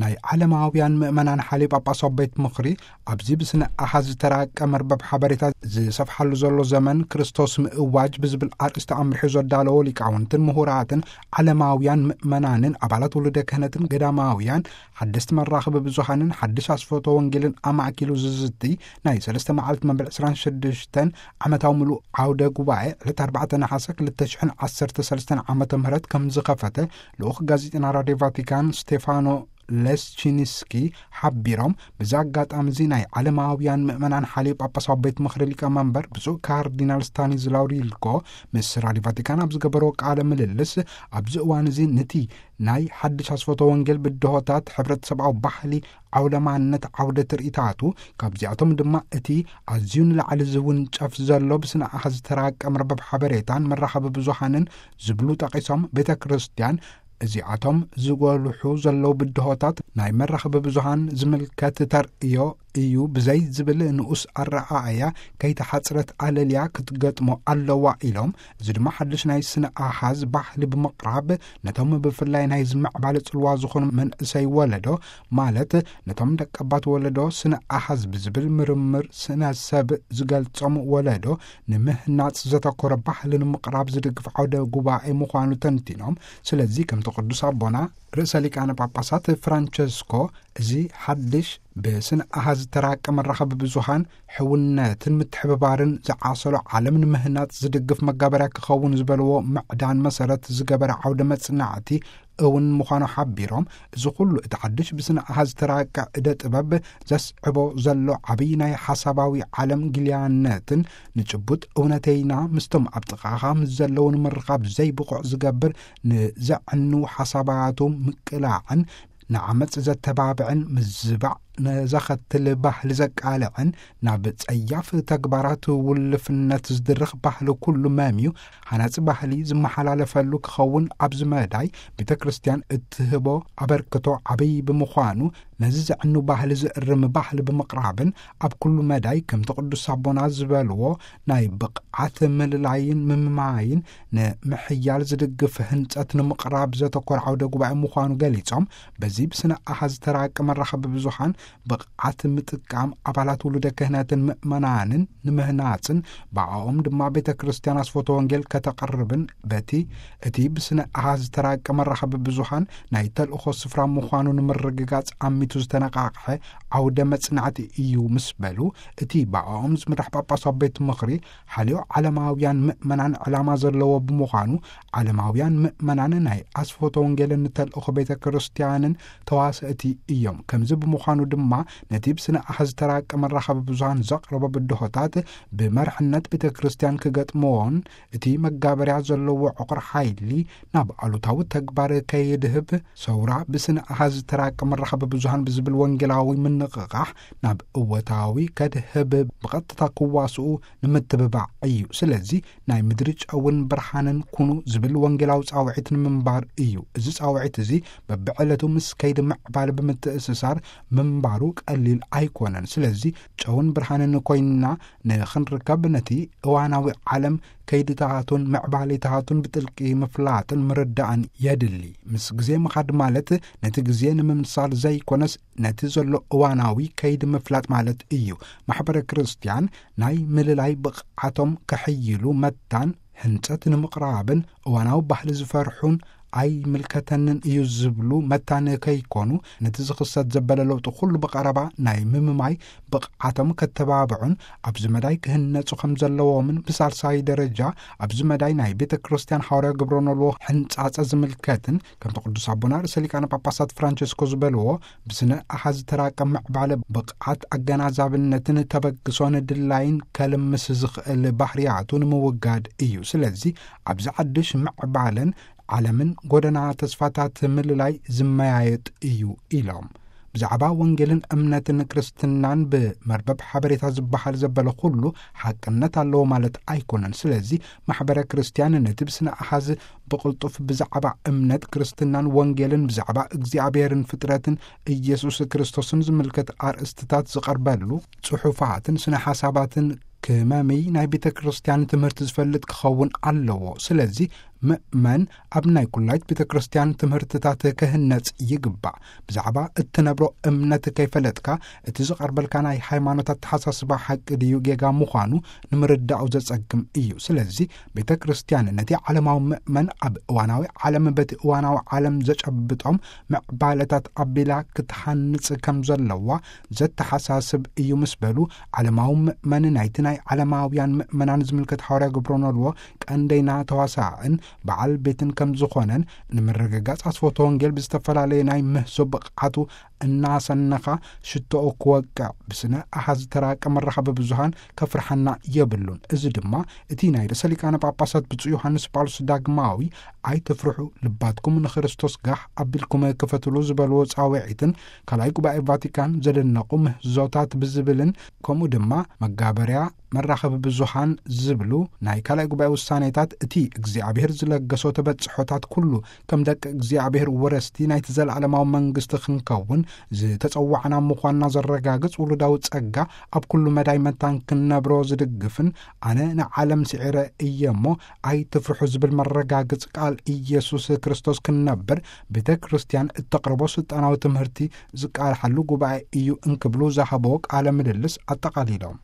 ናይ ዓለማውያን ምእመናን ሓልዮ ጳጳሳዊ ቤት ምኽሪ ኣብዚ ብስነ ኣሃዝ ዝተራቀ መርበብ ሓበሬታ ዝሰፍሓሉ ዘሎ ዘመን ክርስቶስ ምእዋጅ ብዝብል ኣርእስቲ ኣምሪሑ ዘዳለዎ ሊቃውንትን ምሁራትን ዓለማውያን ምእመናንን ኣባላት ውሉደ ክህነትን ገዳማውያን ሓደስቲ መራኽቢ ብዙሃንን ሓድሽ ኣስፈቶ ወንጌልን ኣማእኪሉ ዝዝቲ ናይ ሰለስተ መዓልቲ መበል ዕስራን ሽዱሽተን ዓመታዊ ምሉእ ዓውደ ጉባኤ ዕለት ኣርባዕተ ነሓሰ ክልተ ሽሕን ዓሰርተ ሰለስተን ዓመተ ምህረት ከም ዝኸፈተ ልኡኽ ጋዜጠና ራድዮ ቫቲካን ስቴፋኖ ሌስቺንስኪ ሓቢሮም። ብዚ ኣጋጣሚ እዚ ናይ ዓለማውያን ምእመናን ሓልዮ ጳጳሳዊ ቤት ምኽሪ ሊቀመንበር ብፁዕ ካርዲናል ስታኒዝላው ሪልኮ ምስ ራድዮ ቫቲካን ኣብ ዝገበሮ ቃለ ምልልስ፣ ኣብዚ እዋን እዚ ንቲ ናይ ሓድሽ ኣስፈቶ ወንጌል ብድሆታት ሕብረተሰባዊ ባህሊ ዓውደ ማንነት ዓውደ ትርኢታቱ፣ ካብዚኣቶም ድማ እቲ ኣዝዩ ንላዕሊ ዝውንጨፍ ዘሎ ብስነ ኣሃዝ ዝተራቀ መርበብ ሓበሬታን መራኸቢ ብዙሃንን ዝብሉ ጠቒሶም፣ ቤተ ክርስቲያን እዚኣቶም ዝጎልሑ ዘለዉ ብድሆታት ናይ መራኸቢ ብዙሃን ዝምልከት ተርእዮ እዩ ብዘይ ዝብል ንኡስ ኣረኣእያ ከይተሓጽረት ኣለልያ ክትገጥሞ ኣለዋ ኢሎም። እዚ ድማ ሓድሽ ናይ ስነ ኣሃዝ ባህሊ ብምቕራብ ነቶም ብፍላይ ናይ ዝምዕባለ ጽልዋ ዝኾኑ መንእሰይ ወለዶ ማለት ነቶም ደቀባት ወለዶ ስነ ኣሃዝ ብዝብል ምርምር ስነ ሰብ ዝገልጾም ወለዶ ንምህናጽ ዘተኮረ ባህሊ ንምቕራብ ዝድግፍ ዓውደ ጉባኤ ምዃኑ ተንቲኖም። ስለዚ ከምቲ ቅዱስ ኣቦና ርእሰ ሊቃነ ጳጳሳት ፍራንቸስኮ እዚ ሓድሽ ብስነ ኣሃዝ ዝተራቀ መራኸቢ ብዙሃን ሕውነትን ምትሕብባርን ዝዓሰሎ ዓለም ንምህናጽ ዝድግፍ መጋበርያ ክኸውን ዝበልዎ ምዕዳን መሰረት ዝገበረ ዓውደ መጽናዕቲ እውን ምዃኑ ሓቢሮም፣ እዚ ኩሉ እቲ ሓድሽ ብስነ ኣሃዝ ዝተራቀ እደ ጥበብ ዘስዕቦ ዘሎ ዓብዪ ናይ ሓሳባዊ ዓለም ግልያነትን ንጭቡጥ እውነተይና ምስቶም ኣብ ጥቓኻ ምስ ዘለዉ ንምርኻብ ዘይብቑዕ ዝገብር ንዘዕኑ ሓሳባቱ ምቅላዕን ንዓመጽ ዘተባብዕን ምዝባዕ ነዘኸትል ባህሊ ዘቃልዕን ናብ ጸያፍ ተግባራት ውልፍነት ዝድርኽ ባህሊ ኩሉ መምዩ ሃናጺ ባህሊ ዝመሓላለፈሉ ክኸውን ኣብዚ መዳይ ቤተ ክርስቲያን እትህቦ ኣበርክቶ ዓብዪ ብምዃኑ ነዚ ዘዕኑ ባህሊ ዝእርም ባህሊ ብምቕራብን ኣብ ኩሉ መዳይ ከምቲ ቅዱስ ኣቦና ዝበልዎ ናይ ብቕዓት ምልላይን ምምማይን ንምሕያል ዝድግፍ ህንጸት ንምቕራብ ዘተኮረ ዓውደ ጉባኤ ምዃኑ ገሊጾም፣ በዚ ብስነ ኣሃዝ ዝተራቀ መራኸቢ ብዙሃን ብቕዓት ምጥቃም ኣባላት ውሉደ ክህነትን ምእመናንን ንምህናጽን ብኣኦም ድማ ቤተ ክርስቲያን ኣስፎቶ ወንጌል ከተቕርብን በቲ እቲ ብስነ ኣሃዝ ዝተራቀ መራኸቢ ብዙሃን ናይ ተልእኾ ስፍራ ምዃኑ ንምርግጋጽ ኣሚቱ ዝተነቃቕሐ ዓውደ መጽናዕቲ እዩ ምስ በሉ፣ እቲ ብኣኦም ዝምራሕ ጳጳሳዊ ቤት ምኽሪ ሓልዮ ዓለማውያን ምእመናን ዕላማ ዘለዎ ብምዃኑ፣ ዓለማውያን ምእመናን ናይ ኣስፎቶ ወንጌልን ተልእኾ ቤተ ክርስቲያንን ተዋሰእቲ እዮም። ከምዚ ብምዃኑ ድማ ነቲ ብስነ ኣሃዝ ዝተራቀ መራኸቢ ብዙሃን ዘቕረቦ ብድሆታት ብመርሕነት ቤተ ክርስቲያን ክገጥምዎን እቲ መጋበርያ ዘለዎ ዕቑር ሓይሊ ናብ ኣሉታዊ ተግባር ከይድህብ፣ ሰውራ ብስነ ኣሃዝ ዝተራቀ መራኸቢ ብዙሃን ብዝብል ወንጌላዊ ምንቕቓሕ ናብ እወታዊ ከድህብ ብቐጥታ ክዋስኡ ንምትብባዕ እዩ። ስለዚ ናይ ምድሪ ጨውን ብርሃንን ኩኑ ዝብል ወንጌላዊ ጻውዒት ንምንባር እዩ። እዚ ጻውዒት እዚ በብዕለቱ ምስ ከይዲ ምዕባለ ብምትእስሳር ምንባሩ ቀሊል ኣይኮነን። ስለዚ ጨውን ብርሃንን ኮይንና ንኽንርከብ ነቲ እዋናዊ ዓለም ከይድታቱን ምዕባሌታቱን ብጥልቂ ምፍላጥን ምርዳእን የድሊ። ምስ ግዜ ምኻድ ማለት ነቲ ግዜ ንምምሳል ዘይኮነስ ነቲ ዘሎ እዋናዊ ከይዲ ምፍላጥ ማለት እዩ። ማሕበረ ክርስቲያን ናይ ምልላይ ብቕዓቶም ከሕይሉ መታን ህንጸት ንምቕራብን እዋናዊ ባህሊ ዝፈርሑን ኣይምልከተንን እዩ ዝብሉ መታን ከይኮኑ ነቲ ዝኽሰት ዘበለ ለውጢ ኩሉ ብቐረባ ናይ ምምማይ ብቕዓቶም ከተባብዑን ኣብዚ መዳይ ክህነጹ ከም ዘለዎምን ብሳልሳይ ደረጃ ኣብዚ መዳይ ናይ ቤተ ክርስቲያን ሓዋርያ ግብረ ኖልዎ ሕንጻጸ ዝምልከትን ከምቲ ቅዱስ ኣቦና ርእሰ ሊቃነ ጳጳሳት ፍራንቸስኮ ዝበልዎ ብስነ ኣሃዝ ዝተራቀ ምዕባለ ብቕዓት ኣገናዛብነትን ተበግሶን ድላይን ከልምስ ዝኽእል ባህርያቱ ንምውጋድ እዩ። ስለዚ ኣብዚ ሓድሽ ምዕባለን ዓለምን ጎደና ተስፋታት ምልላይ ዝመያየጥ እዩ ኢሎም። ብዛዕባ ወንጌልን እምነትን ክርስትናን ብመርበብ ሓበሬታ ዝበሃል ዘበለ ኩሉ ሓቅነት ኣለዎ ማለት ኣይኮነን። ስለዚ ማሕበረ ክርስቲያን ነቲ ብስነ ኣሃዝ ብቕልጡፍ ብዛዕባ እምነት ክርስትናን ወንጌልን ብዛዕባ እግዚኣብሔርን ፍጥረትን ኢየሱስ ክርስቶስን ዝምልከት ኣርእስትታት ዝቐርበሉ ጽሑፋትን ስነ ሓሳባትን ክመምይ ናይ ቤተ ክርስቲያን ትምህርቲ ዝፈልጥ ክኸውን ኣለዎ። ስለዚ ምእመን ኣብ ናይ ኩላይት ቤተ ክርስቲያን ትምህርትታት ክህነጽ ይግባእ። ብዛዕባ እትነብሮ እምነት ከይፈለጥካ፣ እቲ ዝቐርበልካ ናይ ሃይማኖት ኣተሓሳስባ ሓቂ ድዩ ጌጋ ምዃኑ ንምርዳኡ ዘጸግም እዩ። ስለዚ ቤተ ክርስቲያን ነቲ ዓለማዊ ምእመን ኣብ እዋናዊ ዓለም በቲ እዋናዊ ዓለም ዘጨብጦም ምዕባለታት ኣቢላ ክትሃንጽ ከም ዘለዋ ዘተሓሳስብ እዩ ምስ በሉ፣ ዓለማዊ ምእመን ናይቲ ናይ ዓለማውያን ምእመናን ዝምልከት ሓዋርያ ገብረ ኖልዎ ቀንደይና ተዋሳእን በዓል ቤትን ከም ዝኾነን ንምርግጋጽ ኣስፈቶ ወንጌል ብዝተፈላለየ ናይ ምህዞ ብቕዓቱ እናሰነኻ ሽቶኡ ክወቅዕ ብስነ ኣሃዝ ተራቀ መራኸቢ ብዙሃን ከፍርሓና የብሉን። እዚ ድማ እቲ ናይ ርእሰ ሊቃነ ጳጳሳት ብፁዕ ዮሃንስ ጳውሎስ ዳግማዊ "ኣይትፍርሑ፣ ልባትኩም ንክርስቶስ ጋሕ ኣቢልኩም ክፈትሉ" ዝበልዎ ጻውዒትን ካልኣይ ጉባኤ ቫቲካን ዘደነቑ ምህዞታት ብዝብልን ከምኡ ድማ መጋበርያ መራኸቢ ብዙሃን ዝብሉ ናይ ካልኣይ ጉባኤ ውሳኔታት እቲ እግዚኣብሔር ዝለገሶ ተበጽሖታት ኩሉ ከም ደቂ እግዚኣብሔር ወረስቲ ናይቲ ዘለዓለማዊ መንግስቲ ክንከውን ዝተጸዋዕና ምዃንና ዘረጋግጽ ውሉዳዊ ጸጋ ኣብ ኩሉ መዳይ መታን ክንነብሮ ዝድግፍን ኣነ ንዓለም ስዒረ እየ እሞ ኣይትፍርሑ ዝብል መረጋግጽ ቃል ኢየሱስ ክርስቶስ ክንነብር ቤተ ክርስቲያን እተቕርቦ ስልጣናዊ ትምህርቲ ዝቃልሓሉ ጉባኤ እዩ እንክብሉ ዝሃቦ ቃለ ምልልስ ኣጠቓሊሎም።